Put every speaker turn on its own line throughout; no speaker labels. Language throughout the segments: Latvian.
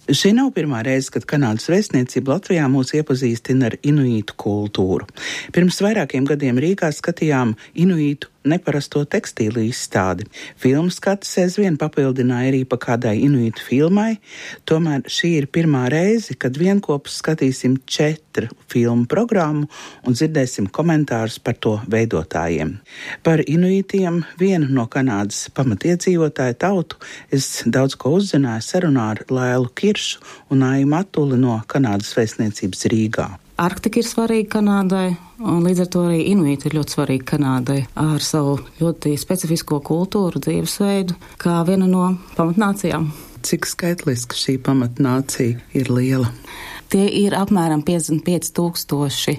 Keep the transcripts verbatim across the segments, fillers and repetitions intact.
Šī nav pirmā reize, kad Kanādas vēstniecība Latvijā mūs iepazīstina ar inuītu kultūru. Pirms vairākiem gadiem Rīgā skatījām inuītu neparasto tekstīlu izstādi. Filmu skats aizvien papildināja arī pa kādai inuītu filmai, tomēr šī ir pirmā reize, kad vienkopus skatīsim četru filmu programmu un dzirdēsim komentārus par to veidotājiem. Par inuītiem, vienu no Kanādas pamatiedzīvotāju tautu, es daudz ko uzzināju sarunā ar Lailu Kiršu un Aiju Matuli no Kanādas vēstniecības Rīgā.
Arktika ir svarīga Kanādai, un līdz ar to arī inuīti ir ļoti svarīgi Kanādai ar savu ļoti specifisko kultūru, dzīvesveidu, kā viena no pamatnācijām.
Cik skaitliski šī pamatnācija ir liela?
Tie ir apmēram piecdesmit pieci tūkstoši,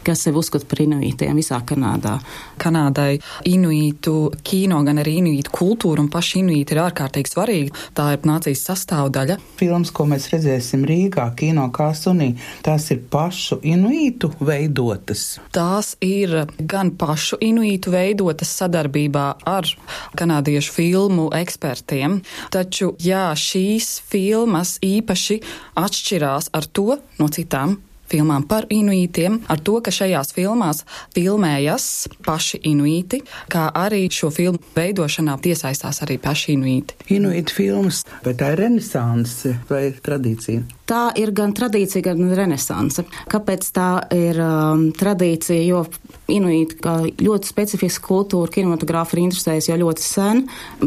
kas sev uzskata par inuītiem visā Kanādā.
Kanādai inuītu kino, gan arī inuītu kultūra un paši inuīti ir ārkārtīgi svarīgi. Tā ir nācijas sastāvdaļa.
Filmas, ko mēs redzēsim Rīgā, kino Kāsunī, tās ir pašu inuītu veidotas.
Tās ir gan pašu inuītu veidotas sadarbībā ar kanādiešu filmu ekspertiem, taču jā, šīs filmas īpaši atšķirās ar to no citām filmām par inuītiem, ar to, ka šajās filmās filmējas paši inuīti, kā arī šo filmu veidošanā iesaistās arī paši inuīti.
Inuītu filmas, vai tā ir renesanse vai tradīcija?
Tā ir gan tradīcija, gan renesanse. Kāpēc tā ir um, tradīcija? Jo inuīti, kā ļoti specifiska kultūra, kinematogrāfa ir interesējusi jau ļoti sen,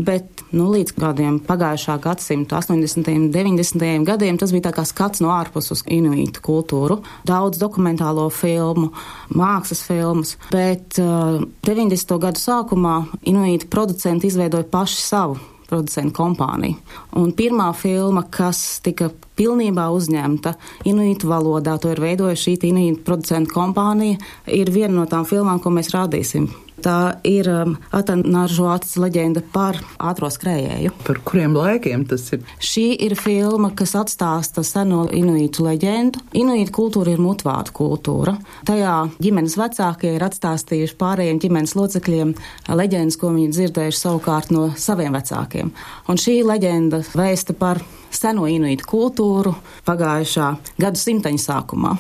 bet nu, līdz kādiem pagājušā gadsimta astoņdesmitajiem, deviņdesmitajiem gadiem tas bija tā kā skats no ārpus uz inuītu kultūru. Daudz dokumentālo filmu, mākslas filmas, bet uh, deviņdesmito gadu sākumā inuītu producenti izveidoja paši savu producentu kompāniju. Un pirmā filma, kas tika pilnībā uzņemta inuītu valodā, to ir veidojusi šī inuītu producentu kompānija, ir viena no tām filmām, ko mēs rādīsim. Tā ir um, Atanāržoatas leģenda par ātro skrējēju.
Par kuriem laikiem tas ir?
Šī ir filma, kas atstāsta seno inuītu leģendu. Inuītu kultūra ir mutvārdu kultūra. Tajā ģimenes vecākie ir atstāstījuši pārējiem ģimenes locekļiem leģendas, ko viņi dzirdējuši savukārt no saviem vecākiem. Un šī leģenda vēsta par seno inuītu kultūru pagājušā gadu simteņa sākumā.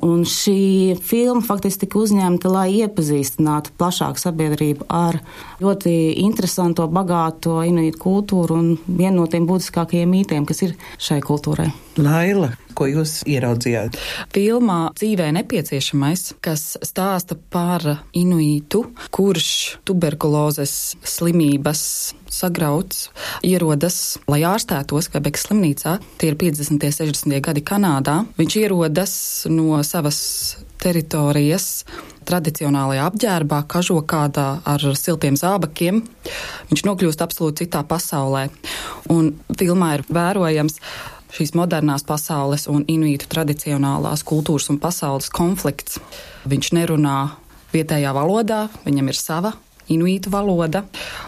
Un šī filma faktiski tika uzņemta, lai iepazīstinātu plašāku sabiedrību ar ļoti interesanto, bagāto inuītu kultūru un vienu no tiem būtiskākajiem mītiem, kas ir šai kultūrai.
Laila, ko jūs ieraudzījāt?
Filmā Dzīvē nepieciešamais, kas stāsta par inuītu, kurš tuberkulozes slimības sagrauts, ierodas, lai ārstētos Kvebekas slimnīcā. Tie ir piecdesmitie, sešdesmitie gadi Kanādā. Viņš ierodas no savas teritorijas tradicionālajā apģērbā, kažokādā ar siltiem zābakiem. Viņš nokļūst absolūti citā pasaulē. Un filmā ir vērojams šīs modernās pasaules un inuītu tradicionālās kultūras un pasaules konflikts. Viņš nerunā vietējā valodā, viņam ir sava inuītu valoda,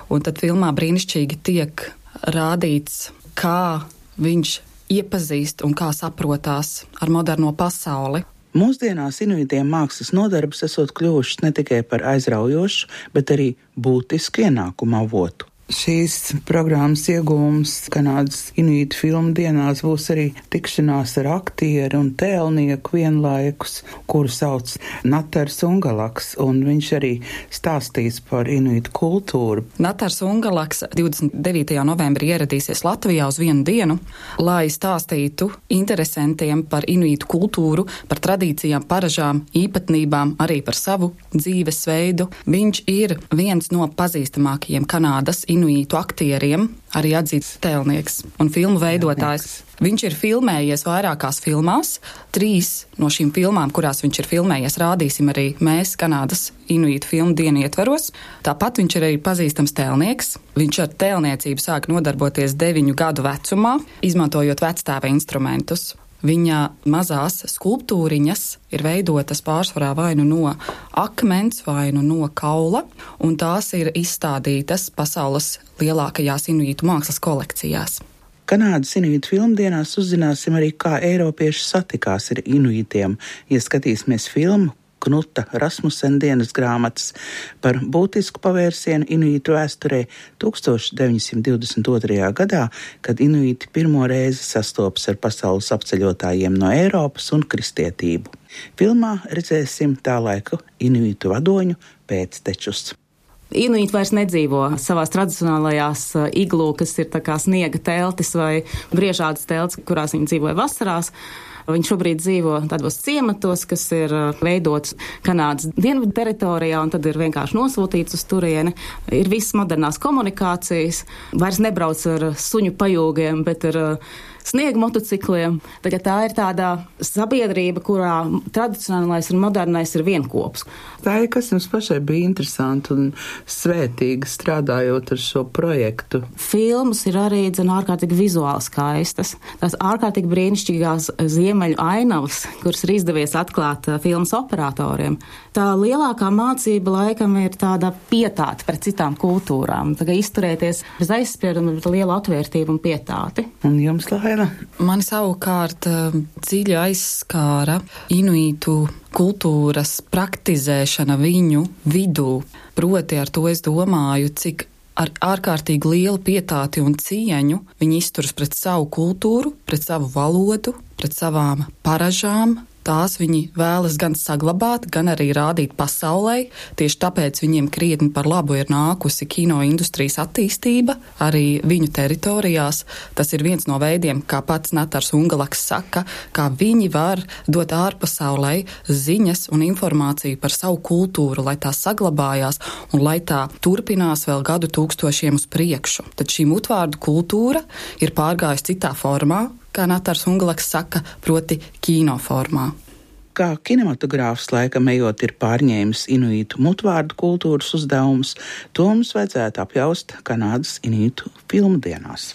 un tad filmā brīnišķīgi tiek rādīts, kā viņš iepazīst un kā saprotās ar moderno pasauli.
Mūsdienās inuitiem mākslas nodarbes esot kļuvušas ne tikai par aizraujošu, bet arī būtisku ienākumu avotu. Šīs programmas iegūms Kanādas inuītu filmu dienās būs arī tikšanās ar aktieru un tēlnieku vienlaikus, kuru sauc Natars Ungalaks, un viņš arī stāstīs par inuītu kultūru.
Natars Ungalaks divdesmit devītajā novembrī ieradīsies Latvijā uz vienu dienu, lai stāstītu interesantiem par inuītu kultūru, par tradīcijām, paražām, īpatnībām, arī par savu dzīvesveidu. Viņš ir viens no pazīstamākajiem Kanādas inuītu aktieriem, arī atzīts tēlnieks un filmu veidotājs. Viņš ir filmējies vairākās filmās. Trīs no šīm filmām, kurās viņš ir filmējies, rādīsim arī mēs Kanādas inuītu filmu dienu ietveros. Tāpat viņš ir arī pazīstams tēlnieks. Viņš ar tēlniecību sāk nodarboties deviņu gadu vecumā, izmantojot vectēva instrumentus. Viņa mazās skulptūriņas ir veidotas pārsvarā vai nu no akmens, vai nu no kaula, un tās ir izstādītas pasaules lielākajās inuītu mākslas kolekcijās.
Kanādas inuītu filmdienās uzzināsim arī, kā eiropieši satikās ar inuītiem. Ja skatīsimies filmu Knuta Rasmussena dienas grāmatas par būtisku pavērsienu inuītu vēsturē tūkstoš deviņsimt divdesmit otrajā gadā, kad inuīti pirmo reizi sastopas ar pasaules apceļotājiem no Eiropas un kristietību. Filmā redzēsim tā laika inuītu vadoņu pēctečus.
Inuīti vairs nedzīvo savās tradicionālajās iglu, kas ir tā kā sniega teltis vai briežādas teltis, kurās viņi dzīvoja vasarās. Viņi šobrīd dzīvo tādos ciematos, kas ir veidots Kanādas dienvidu teritorijā, un tad ir vienkārši nosūtīts uz turieni. Ir visas modernās komunikācijas, vairs nebrauc ar suņu pajūgiem, bet ar sniega motocikliem. Tagad tā ir tāda sabiedrība, kurā tradicionālais un modernais ir vienkops.
Tā ir, kas jums pašai bija interesanti un svētīgi strādājot ar šo projektu.
Filmas ir arī dzen ārkārtīgi vizuāli skaistas. Tās ārkārtīgi brīnišķīgās ziemeļu ainavas, kuras ir izdevies atklāt filmas operatoriem. Tā lielākā mācība laikam ir tāda pietāte pret citām kultūrām. Tagad izturēties bez aizsprieduma, bet lielu atvērtību un pietāti.
Un jums, Laila?
Mani savukārt dziļi aizskāra inuītu kultūras praktizēšana viņu vidū. Proti ar to es domāju, cik ar ārkārtīgi lielu pietāti un cieņu viņi izturas pret savu kultūru, pret savu valodu, pret savām paražām. Tās viņi vēlas gan saglabāt, gan arī rādīt pasaulē. Tieši tāpēc viņiem krietni par labu ir nākusi kino industrijas attīstība arī viņu teritorijās. Tas ir viens no veidiem, kā pats Natars Ungalaks saka, kā viņi var dot ārpasaulē ziņas un informāciju par savu kultūru, lai tā saglabājās un lai tā turpinās vēl gadu tūkstošiem uz priekšu. Tad šī mutvārdu kultūra ir pārgājusi citā formā, kā Natars Ungalaks saka, proti kino formā.
Kā kinematogrāfs laikam ejot ir pārņēmis inuītu mutvārdu kultūras uzdevumus, to mums vajadzētu apjaust Kanādas inuītu filmu dienās.